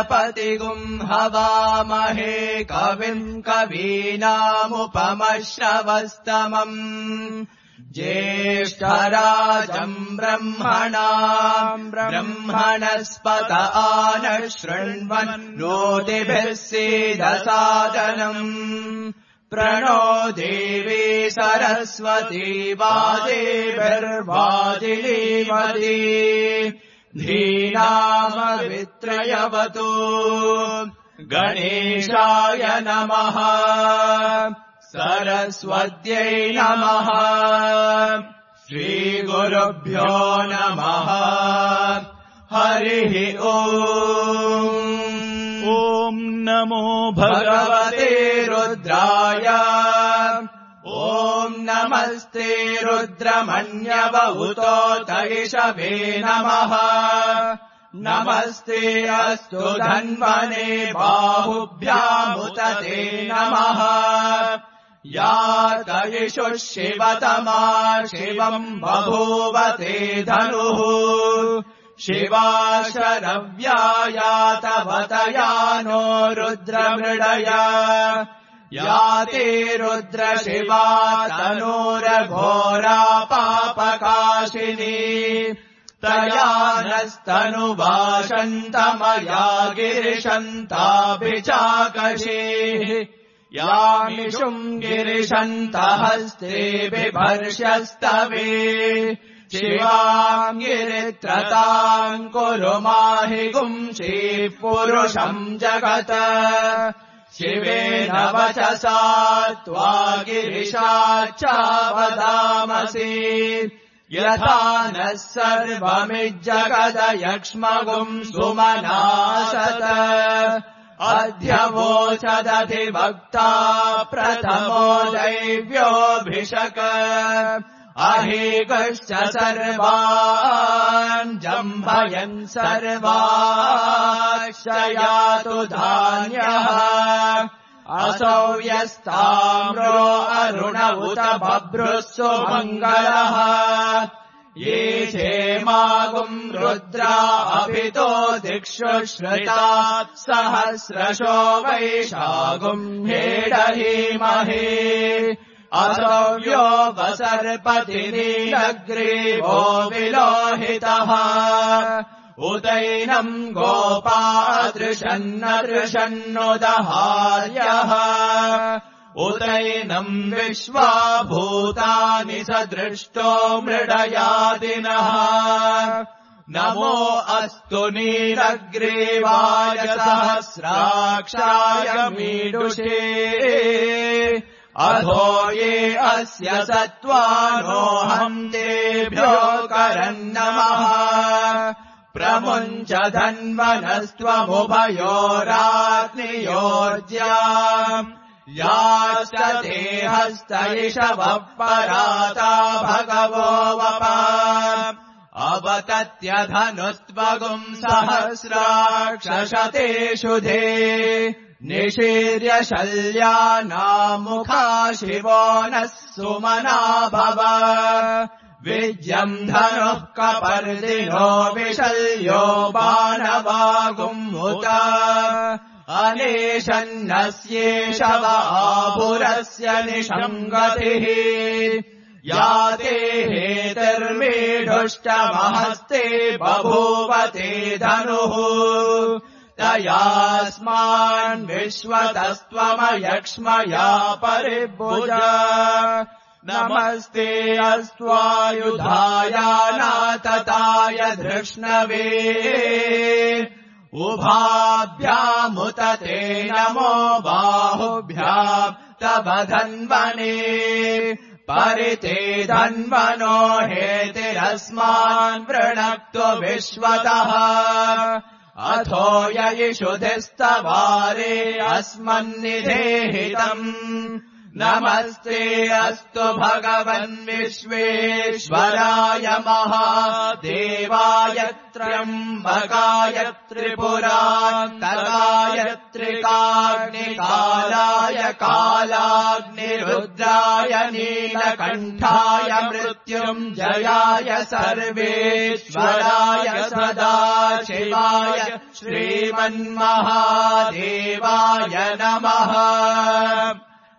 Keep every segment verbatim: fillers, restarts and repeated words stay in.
गणपतिगुम् हवामहे कविम् कवीनामुपमश्रवस्तमम् ज्येष्ठराजम् ब्रह्मणाम् ब्रह्मणस्पत आनः शृण्वन्नोतिभिः सीदसादनम् प्रणो देवी सरस्वती वाजेभिर्वाजिनीवती धीनामवित्रयवतु गणेशाय नमः सरस्वत्यै नमः श्रीगुरुभ्यो नमः हरिः ओम् ॐ नमो भगवते रुद्राय ॐ नमस्ते रुद्रमन्यवहुतोत इषवे नमः नमस्ते अस्तु धन्वने बाहुभ्यामुत ते नमः या तयिषुः शिवतमा शिवम् बभूव ते धनुः शिवा शरव्या तवतया नो रुद्रमृडया या ते रुद्रशिवा तनूरघोरा पापकाशिनी तया नस्तनुवाशन्तमया गिरिशन्ताभिचाकशीः यामिषुम् गिरिशन्तहस्ते बिभर्ष्यस्तवे शिवाम् गिरित्रताम् कुरु माहि गुंशीः पुरुषम् जगत् शिवेन वचसा त्वा गिरिशाच्चावदामसि यथा नः सर्वमिज्जगदयक्ष्मगुम् सुमनासत अध्यवोचदधिवक्ता प्रथमो दैव्योऽभिषक अहेकश्च सर्वान् जम्भयन् सर्वाश्च यातु धान्यः असौ यस्ताम्रो अरुण उत बभ्रुः सुमङ्गलः ये क्षेमागुम् रुद्रा अभितो दिक्षु श्रुता सहस्रशो वैशागुम् हेडहीमहे असव्यो वसर्पतिनीलग्रीवो विलोहितः उदैनम् गोपादृशन्नदृशन्नुदहार्यः उदैनम् विश्वाभूतानि सदृष्टो मृडयादिनः नमो अस्तु नीलग्रीवाय सहस्राक्षाय मीडुषे अधो ये अस्य सत्त्वानोऽहम् तेभ्यो करन्नमः प्रमुञ्च धन्वनस्त्वमुभयोराग्नियोर्ज्या याश्च ते हस्तैषवः पराता भगवो वपा अवतत्यधनुस्त्वगुम् सहस्राक्षशतेषु धे निशीर्य शल्यानामुखा शिवो नः सुमना भव विज्यम् धनुः कपर्दिनो विशल्यो बाणवागुमुत अनेशन्नस्येष वापुरस्य निषङ्गतिः या ते हेतिर्मीढुष्टमहस्ते बभूवते धनुः तयास्मान् विश्वतस्त्वमयक्ष्मया परिभुजा नमस्ते अस्त्वायुधाय नातताय धृष्णवे उभाभ्यामुत ते नमो बाहुभ्याम् तव धन्वने परिते धन्वनो हेतिरस्मान् वृणक्तु विश्वतः अथो ययिषुधिस्तवारे अस्मन्निधेहितम् नमस्ते अस्तु भगवन् विश्वेश्वराय महादेवाय त्र्यम्बकाय त्रिपुरान्तकाय त्रिकाग्निकालाय कालाग्निरुद्राय नीलकण्ठाय मृत्युञ्जयाय मृत्युञ्जयाय सर्वेश्वराय सदाशिवाय श्रीमन्महादेवाय नमः।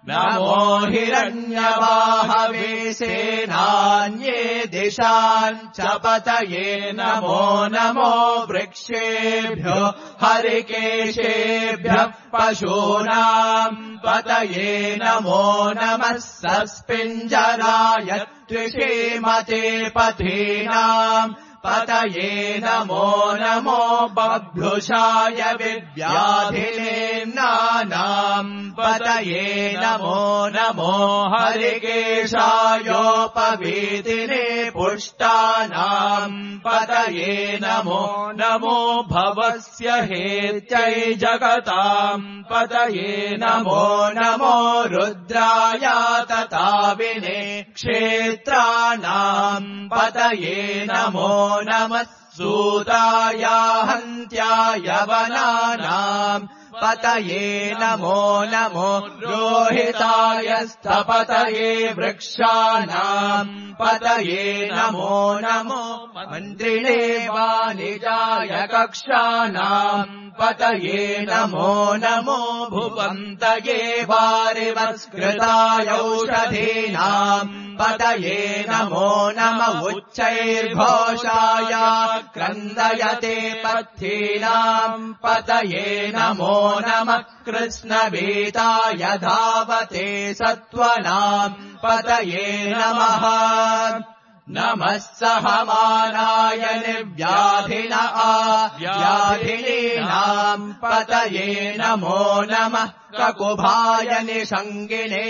नमो हिरण्यवाहवे सेनान्ये दिशान् च पतये नमो नमो वृक्षेभ्यो हरिकेशेभ्यः पशूनाम् पतये नमो नमः सस्पिञ्जराय त्रिषीमते पथीनाम् पतये नमो नमो बभ्रुषाय विव्याधिनेम्नानाम् पतये नमो नमो हरिकेशायोपवीतिने पुष्टानाम् पतये नमो नमो भवस्य हेत्यै जगताम् पतये नमो नमो रुद्राय तताविने क्षेत्राणाम् पतये नमो नमः सूताय हन्त्याय वनानाम् पतये नमो नमो रोहिताय स्थपतये वृक्षाणाम् पतये नमो नमो मन्त्रिणे वाणिजाय कक्षाणाम् पतये नमो नमो भुवन्तये वारिवस्कृताय औषधीनाम् पतये नमो नम उच्चैर्घोषाय क्रन्दयते पथीनाम् पतये नमो नमः कृष्णवीताय धावते सत्त्वनाम् पतये नमः नमः सहमानाय निर्व्याधिन व्याधिनीनाम् पतये नमो नमः ककुभाय निषङ्गिने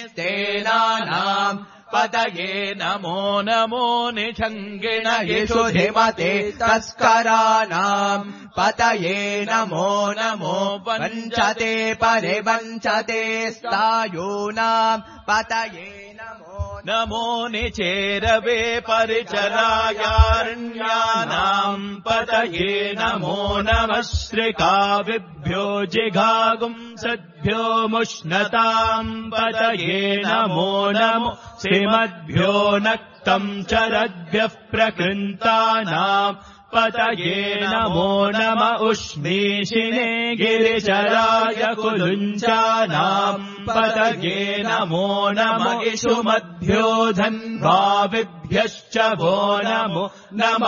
स्तेनानाम् पतये नमो नमो निषङ्गिन यशुधिमते तस्कराणाम् पतये नमो नमो वञ्चते परिवञ्चते स्थायूनाम् पतये नमो नमो निचेरवे परिचरायारण्यानाम् पतये नमो नमः श्रिकाविभ्यो जिघागुंसद्भ्यो मुष्णताम् पतये नमो नमो श्रीमद्भ्यो नक्तम् चरद्भ्यः प्रकृन्तानाम् पतये नमो नम उष्णीषिणे गिरिचराय कुलुञ्चानाम् पतये नमो नम इषुमद्भ्यो धन्वाविभ्यश्च वो नमो नम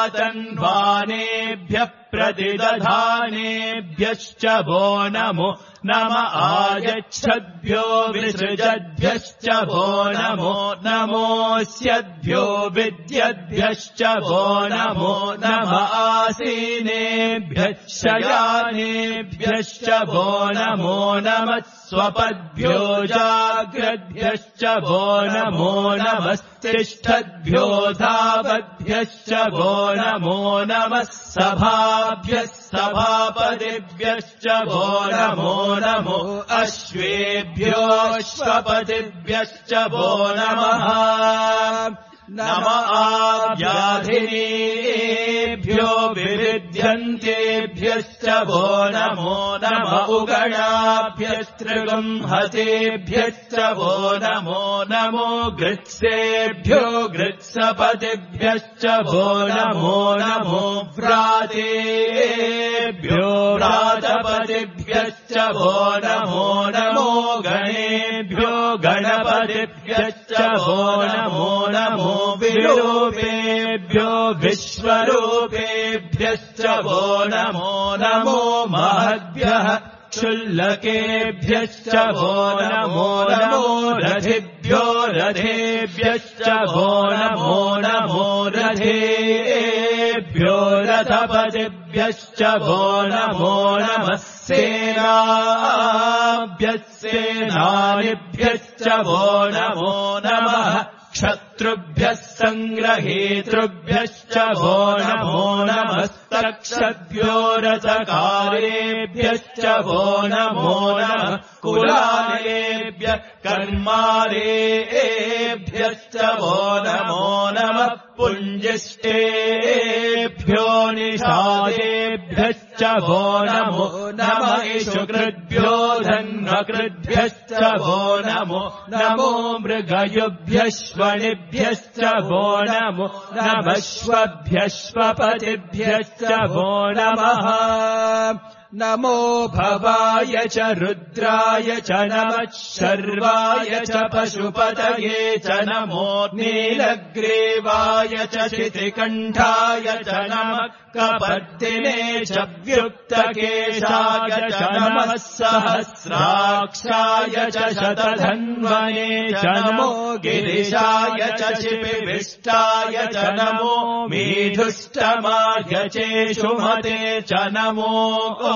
आतन्वानेभ्यः प्रतिदधानेभ्यश्च वो नमो नम आयच्छद्भ्यो विसृजद्भ्यश्च वो नमो नमोऽस्यद्भ्यो विद्यद्भ्यश्च वो नमो नम आसीनेभ्यः शयानेभ्यश्च वो नमो नमः स्वपद्भ्यो जाग्रद्भ्यश्च वो नमो नमस्तिष्ठद्भ्यो धावद्भ्यश्च वो नमो नमः सभाभ्यः सभापतिभ्यश्च वो नमो नमो अश्वेभ्योऽश्वपतिभ्यश्च वो नमः नम आव्याधिनेभ्यो विविध्यन्तेभ्यश्च वो नमो नम उगणाभ्यस्त्रिगंहतेभ्यश्च वो नमो नमो गृत्सेभ्यो गृत्सपतिभ्यश्च वो नमो नमो व्रातेभ्यो व्रातपतिभ्यश्च वो नमो नमो गणेभ्यो गणपतिभ्यश्च वो नमो नमो विरूपेभ्यो विश्वरूपेभ्यश्च वो नमो नमो महद्भ्यः क्षुल्लकेभ्यश्च वो नमो नमो रथिभ्यो रथेभ्यश्च वो नमो नमो रथेभ्यो रथपतिभ्यश्च वो नमो नमः सेनाभ्यः सेनानिभ्यश्च वो नमो नमः क्षत्रुभ्यः सङ्ग्रहेतृभ्यश्च वो नमो नमस्तक्षद्भ्यो रथकारेभ्यश्च वो नमो नमः कुलालेभ्यः कर्मारेभ्यश्च वो नमो नमः पुञ्जिष्टेभ्यो निषादेभ्यश्च कृद्भ्यश्च वो नमो नम इषुकृद्भ्यो धन्वकृद्भ्यश्च वो नमो नमो मृगयुभ्यश्वनिभ्यश्च वो नमो नमश्वभ्यश्वपतिभ्यश्च वो नमः नमो भवाय च रुद्राय च नमः शर्वाय च पशुपतये च नमो नीलग्रीवाय च शितिकण्ठाय च नमः कपर्दिने च व्युक्तकेशाय च नमः सहस्राक्षाय च शतधन्वने च नमो गिरिशाय च शिपिविष्टाय च नमो मेधुष्टमाय चेषुमते च नमो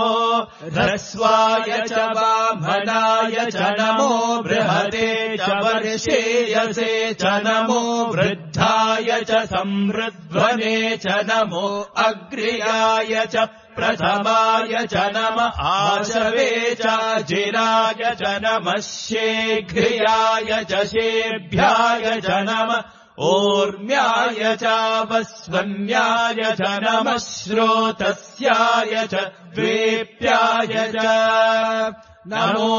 ह्रस्वाय च वामनाय च नमो बृहते च वर्षेयसे च नमो वृद्धाय च संवृध्वने च नमो अग्र्याय च प्रथमाय च नमः आशवे च जिराय च नमः शीघ्रियाय च शेभ्याय च नमः ऊर्म्याय च वस्वन्याय च नमः श्रोतस्याय च द्वेप्याय च नमो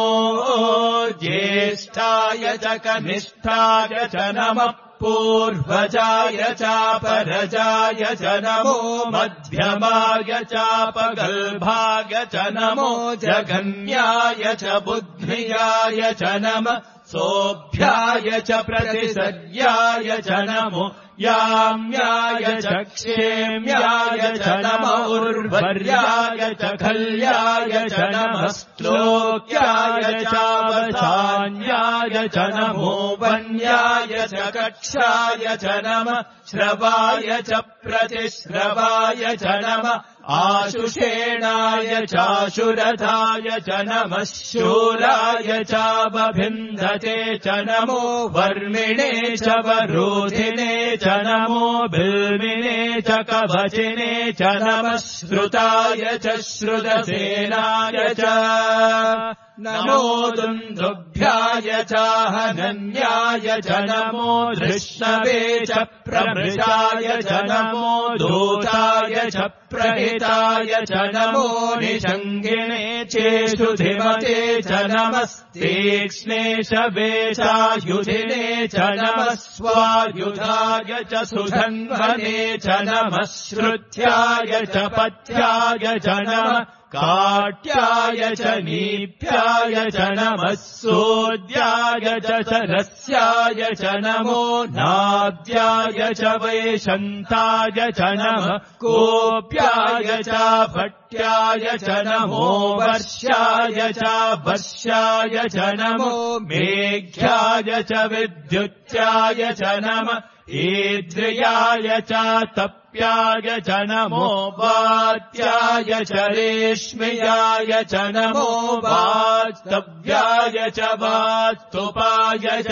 ज्येष्ठाय च कनिष्ठाय च नमः पूर्वजाय चापरजाय च नमो मध्यमाय चापगल्भाय च नमो जगन्याय च बुद्धियाय च नमः सोऽभ्याय च प्रतिसर्याय च नमो याम्याय च क्षेम्याय च नमो उर्वर्याय च खल्याय च नमः श्लोक्याय चावसान्याय च नमो वन्याय च कक्षाय च नमः श्रवाय च प्रतिश्रवाय च नमः आशुषेणाय चाशुरथाय च नमः शूराय चावभिन्धते च नमो वर्मिणे च वरोधिने च नमो बिल्विने च कवचिने च नमः श्रुताय च श्रुतसेनाय च नमो दुन्दुभ्याय चाहनन्याय च नमो धृष्णवे च प्रमृषाय च नमो दूताय च प्रहिताय च नमो निषङ्गिणे चेषुधिमते च नमस्तीक्ष्णे शवेशायुधिने च नमः स्वायुधाय च सुधन्वने च नमः श्रुत्याय च पथ्याय च नमः काट्याय च नीप्याय च नमः सोद्याय च सरस्याय च नमो नाद्याय च वैशन्ताय च नमः कोप्याय च भट्याय च नमो वर्ष्याय च वर्ष्याय च नमो मेघ्याय च विद्युत्याय च नमः ईद्रियाय च तप्याय च नमो वात्याय च रेश्म्याय च नमो वास्तव्याय च वास्तुपाय च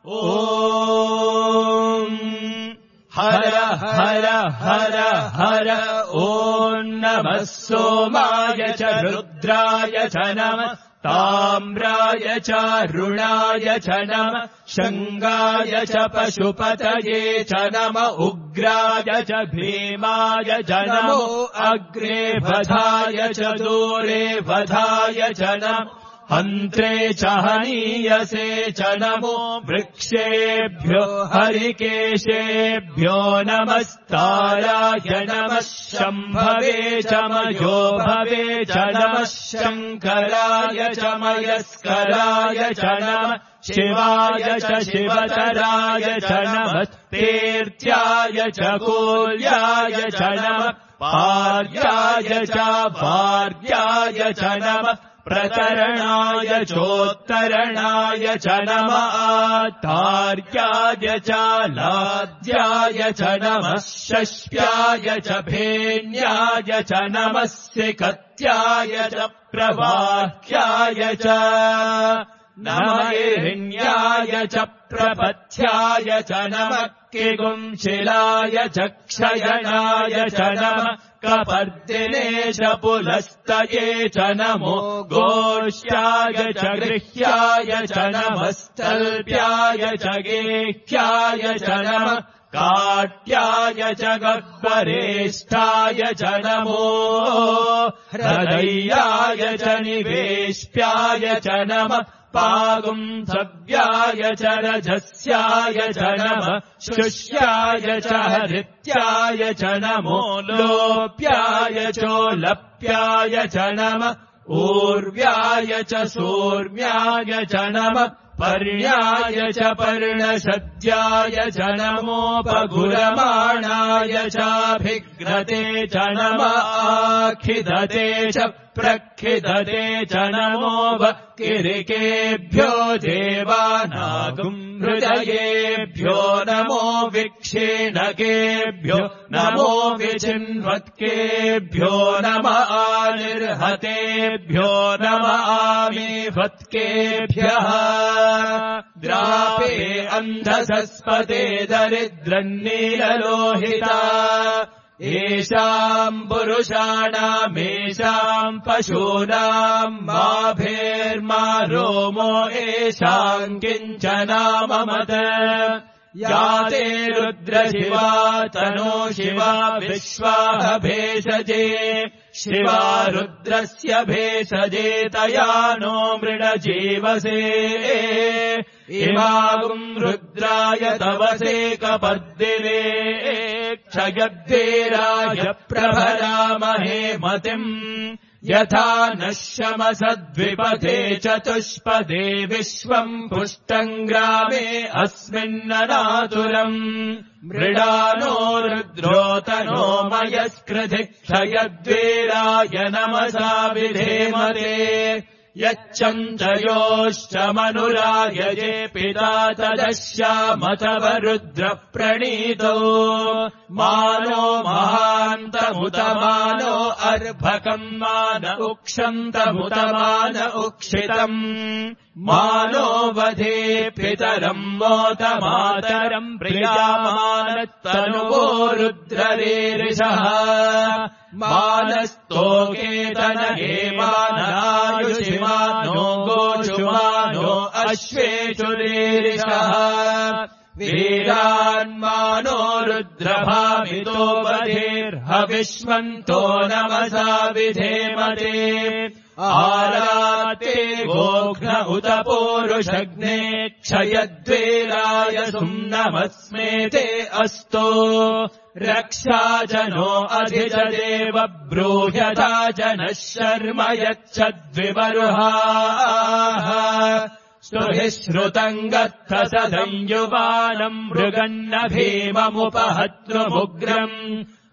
ॐ हर हर हर हर ॐ नमः सोमाय च रुद्राय च नमः ताम्राय च रुणाय च नमः शङ्गाय च पशुपतये च नमः उग्राय च भीमाय च नमो अग्रे वधाय च दूरे वधाय च नमः हन्त्रे च हनीयसे च नमो वृक्षेभ्यो हरिकेशेभ्यो नमस्ताराय नमः शम्भवे च मयो भवे च नमः शङ्कराय च मयस्कराय च नमः शिवाय च शिवतराय च नमः तीर्थ्याय च कूल्याय च नमः पार्याय च भार्याय च नमः प्रतरणाय चोत्तरणाय च नमः आतार्याय च लाद्याय च नमः शष्प्याय च भेन्याय च नमः सिकत्याय च प्रवाह्याय च नमः हिरण्याय च प्रपथ्याय च नमः किगुंशिलाय च क्षयणाय च नमः कपर्दिने च पुलस्तये च नमो गोष्ठ्याय च गृह्याय च नमः स्थल्प्याय च गेह्याय च नमः काट्याय च गह्वरेष्ठाय च नमो हृदयाय च निवेश्याय च नमः पागुंसव्याय च रजस्याय च नमः शुष्याय च हृत्याय च नमो लोप्याय चोलप्याय च नमः ऊर्व्याय च सूर्व्याय च नमः पर्ण्याय च पर्णशद्याय च नमोपगुरमाणाय चाभिघ्नते च नमः आखिदते च प्रखिदते च नमो किरिकेभ्यो देवानागुम् हृदयेभ्यो नमो विक्षीणकेभ्यो नमो विचिन्वत्केभ्यो नमः निर्हतेभ्यो नमः आमीवत्केभ्यः द्रापे अन्धसस्पते दरिद्रन्नीललोहिता येषाम् पुरुषाणामेषाम् पशूनाम् माभेर्मा रोमो येषाम् किञ्चनाममत या ते रुद्रशिवा तनो शिवा विश्वाह भेषजे शिवा रुद्रस्य भेषजे तया नो मृडजीवसे इमागुम् रुद्राय तवसे कपर्दिने क्षयद्वीराय प्रभरामहे मतिम् यथा नश्यमसद्विपथे चतुष्पदे विश्वम् पुष्टम् ग्रामे अस्मिन्ननातुरम् मृडानो रुद्रोतनो मयस्कृधि क्षयद्वीराय नमसा विधेमते यच्चन्द्रयोश्चमनुरायजे पिता तदश्यामतव रुद्रप्रणीतो मानो महान्तमुतमानो अर्भकम् मान उक्षन्तमुतमान उक्षितम् मानो वधे पितरम् मोतमातरम् प्रियामानत्तनुवो रुद्ररीरिषः मानस्तोकेतनये मानायुषिमानो गोषुमानो अश्वेषुरीरिषः वीरान्मानो रुद्रभामितो वधेर्हविष्मन्तो नमसा विधेमते आराते गोघ्न उत पूरुषग्ने क्षयद्वीराय सुम्नमस्मेते अस्तो रक्षा जनो अधिजदेव ब्रूह्यथा जनः शर्म यच्छद्विबर्हाः स्तुभिः श्रुतम् गत्थ सदञ्युवानम् मृगन्न भीममुपहत्रुमुग्रम्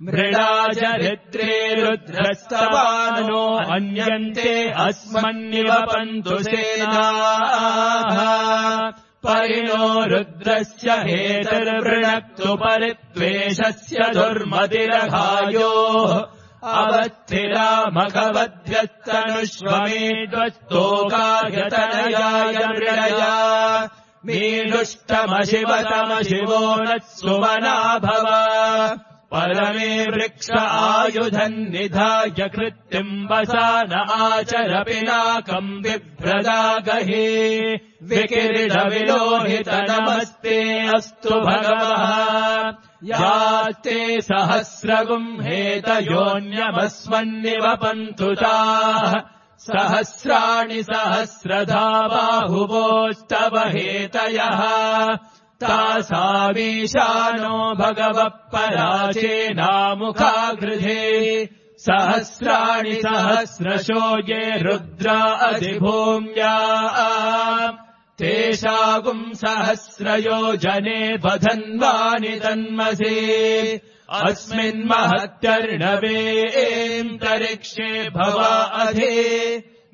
मृडाचरित्रे रुद्रस्तवानो अन्यन्ते अस्मन्निवपन्तु सेनाः परिणो रुद्रस्य हेतर्वृणक्तु परित्वेषस्य दुर्मतिरघायोः अवत्थिरामघवद्भ्यस्तनुष्वमेध्वस्तोकायतनयाय मृडया मीनुष्टमशिवतमशिवो न सुमनाभव परमे वृक्ष आयुधम् निधाय कृत्तिम् वसान आचर पिनाकम् बिभ्रदागहे विकिरीटविलोहित नमस्ते अस्तु भगवः यास्ते सहस्रगुम् हेतयोऽन्यमस्मन्निवपन्तु ताः सहस्राणि सहस्रधा बाहुवोस्तव हेतयः तासामीशानो भगवः पराचेनामुखागृधे सहस्राणि सहस्रशो ये रुद्रा अधिभूम्या तेषागुम् सहस्रयोजने बधन्वानि तन्मसे अस्मिन्महत्यर्णवेऽन्तरिक्षे भवा अधि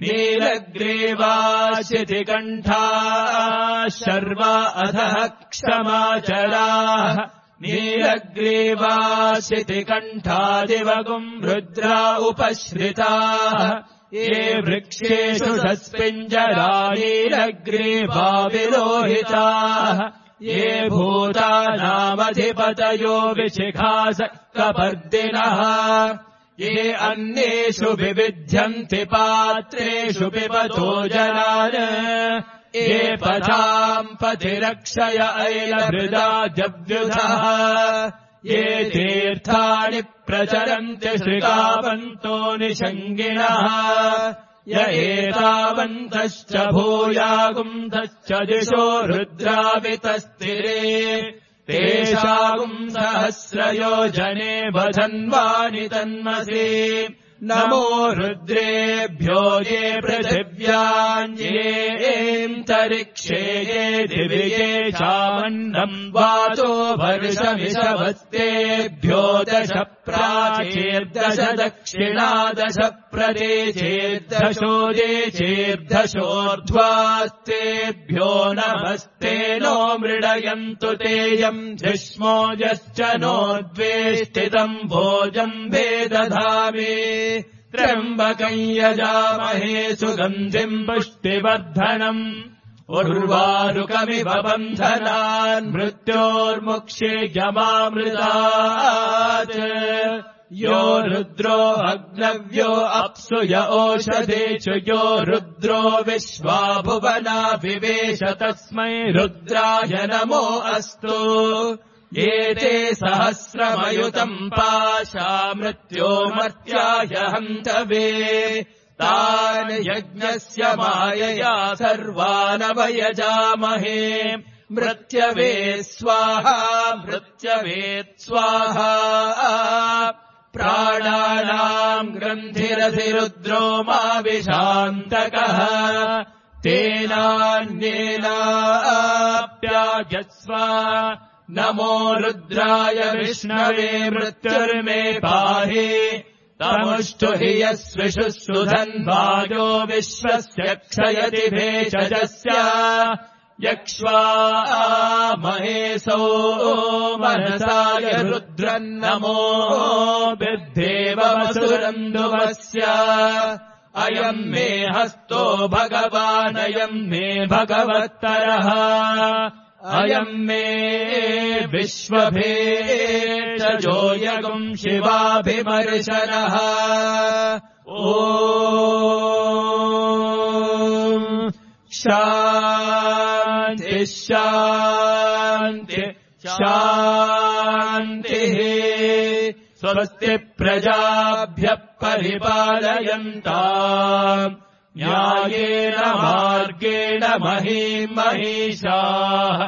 नीलग्रीवाशितिकण्ठाः शर्वा अधः क्षमाचराः नीलग्रीवाशितिकण्ठादिवगुम् रुद्रा उपश्रिताः ये वृक्षेषु सस्पिञ्जरा नीलग्रीवा विलोहिताः ये भूतानामधिपतयो विशिखास कपर्दिनः ये अन्येषु विविध्यन्ति पात्रेषु पिबतो जनान् ये पथाम् पथिरक्षय ऐलभृदा जव्युधः ये तीर्थानि प्रचरन्ति श्रीकावन्तो निषङ्गिणः य एतावन्तश्च भूयागुंसश्च दिशो रुद्रावितस्तिरे तेषागुम् सहस्रयोजने वधन्वानि तन्मसि नमो रुद्रेभ्यो ये पृथिव्यान्येऽन्तरिक्षे ये दिवि ये चामन्नम् वातो वर्षमिषवस्तेभ्यो दश प्राचीर्दश दक्षिणा दश प्रदेशेर्दशोदे चेर्दशोर्ध्वास्तेभ्यो नमस्ते नो मृडयन्तु तेयम् जिष्मोजश्च नो द्वेष्टितम् भोजम् वेदधामि त्र्यम्बकम् यजामहे सुगन्धिम् पुष्टिवर्धनम् उर्वारुकमिव बन्धनान् मृत्योर्मुक्षेयमामृतात् यो रुद्रो अग्नव्यो अप्सु य ओषधेषु यो रुद्रो विश्वा भुवना विवेश तस्मै रुद्राय नमो अस्तु एते सहस्रमयुतम् पाशा मृत्यो मर्त्याय हन्तवे तान् यज्ञस्य मायया सर्वानवयजामहे मृत्यवे स्वाहा मृत्यवे स्वाहा प्राणानाम् ग्रन्थिरधिरुद्रो मा विशान्तकः तेनान्येनाप्यायस्व नमो रुद्राय विष्णवे मृत्युर्मे पाहि तमुष्टु हि यस्विषु सुधन्वायो विश्वस्य क्षयति भेषजस्य यक्ष्वा महेशो मनसाय रुद्रन्नमो विद्धेवसुरन्दुवस्य अयम् मे हस्तो भगवानयम् मे भगवत्तरः अयम् मे विश्वभेषजो यगुम् शिवाभिमर्शनः ॐ शान्ति शान्ति शान्तिः स्वस्ति प्रजाभ्यः परिपालयन्ताम् न्यायेन मार्गेण महीम् महिषाः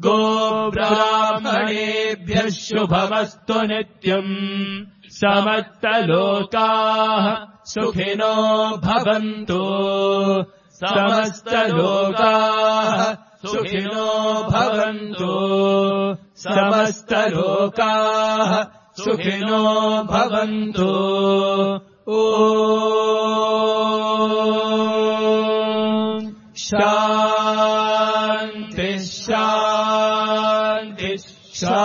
गोब्राह्मणेभ्यः शुभमस्तु नित्यम् समस्तलोकाः सुखिनो भवन्तु समस्तलोकाः सुखिनो भवन्तु समस्तलोकाः सुखिनो भवन्तु ॐ शान्ति शान्ति शान्तिः